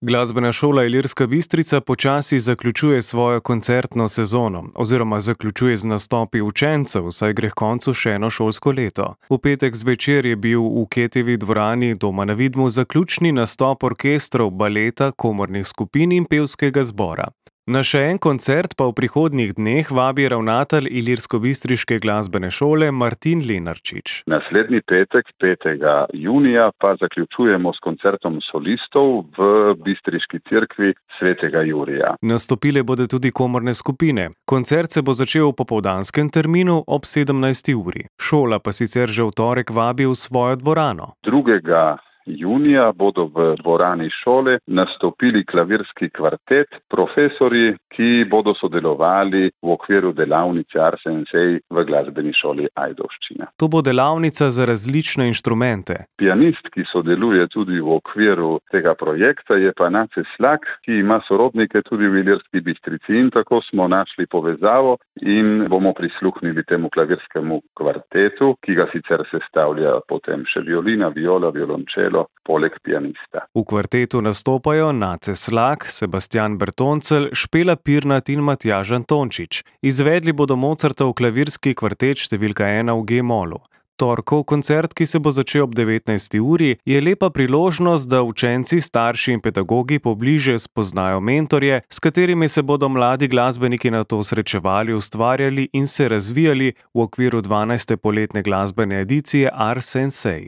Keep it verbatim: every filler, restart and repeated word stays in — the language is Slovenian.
Glasbena šola Ilirska Bistrica počasi zaključuje svojo koncertno sezono oziroma zaključuje z nastopi učencev, saj gre h koncu še eno šolsko leto. V petek zvečer je bil v Ketijevi dvorani doma na Vidmu zaključni nastop orkestrov, baleta, komornih skupin in pevskega zbora. Na še en koncert pa v prihodnjih dneh vabi ravnatelj Ilirskobistriške glasbene šole Martin Lenarčič. Naslednji petek, petega junija, pa zaključujemo s koncertom solistov v Bistriški cerkvi svetega Jurija. Nastopile bodo tudi komorne skupine. Koncert se bo začel v popoldanskem terminu ob sedemnajsti uri. Šola pa sicer že v torek vabi v svojo dvorano. Drugega junija bodo v dvorani šole nastopili klavirski kvartet, profesorji, ki bodo sodelovali v okviru delavnice Ars Sensei v glasbeni šoli Ajdovščina. To bo delavnica za različne inštrumente. Pianist, ki sodeluje tudi v okviru tega projekta, je pa Nace Slak, ki ima sorodnike tudi v Ilirski Bistrici, in tako smo našli povezavo in bomo prisluhnili temu klavirskemu kvartetu, ki ga sicer sestavlja potem še violina, viola, violončelo, poleg pianista. V kvartetu nastopajo Nace Slak, Sebastian Bertoncelj, Špela Pirnat in Matjaž Antončič. Izvedli bodo Mozartov klavirski kvartet številka ena v G-molu. Torkov koncert, ki se bo začel ob devetnajsti uri, je lepa priložnost, da učenci, starši in pedagogi pobliže spoznajo mentorje, s katerimi se bodo mladi glasbeniki nato srečevali, ustvarjali in se razvijali v okviru dvanajste poletne glasbene edicije Ars Sensei.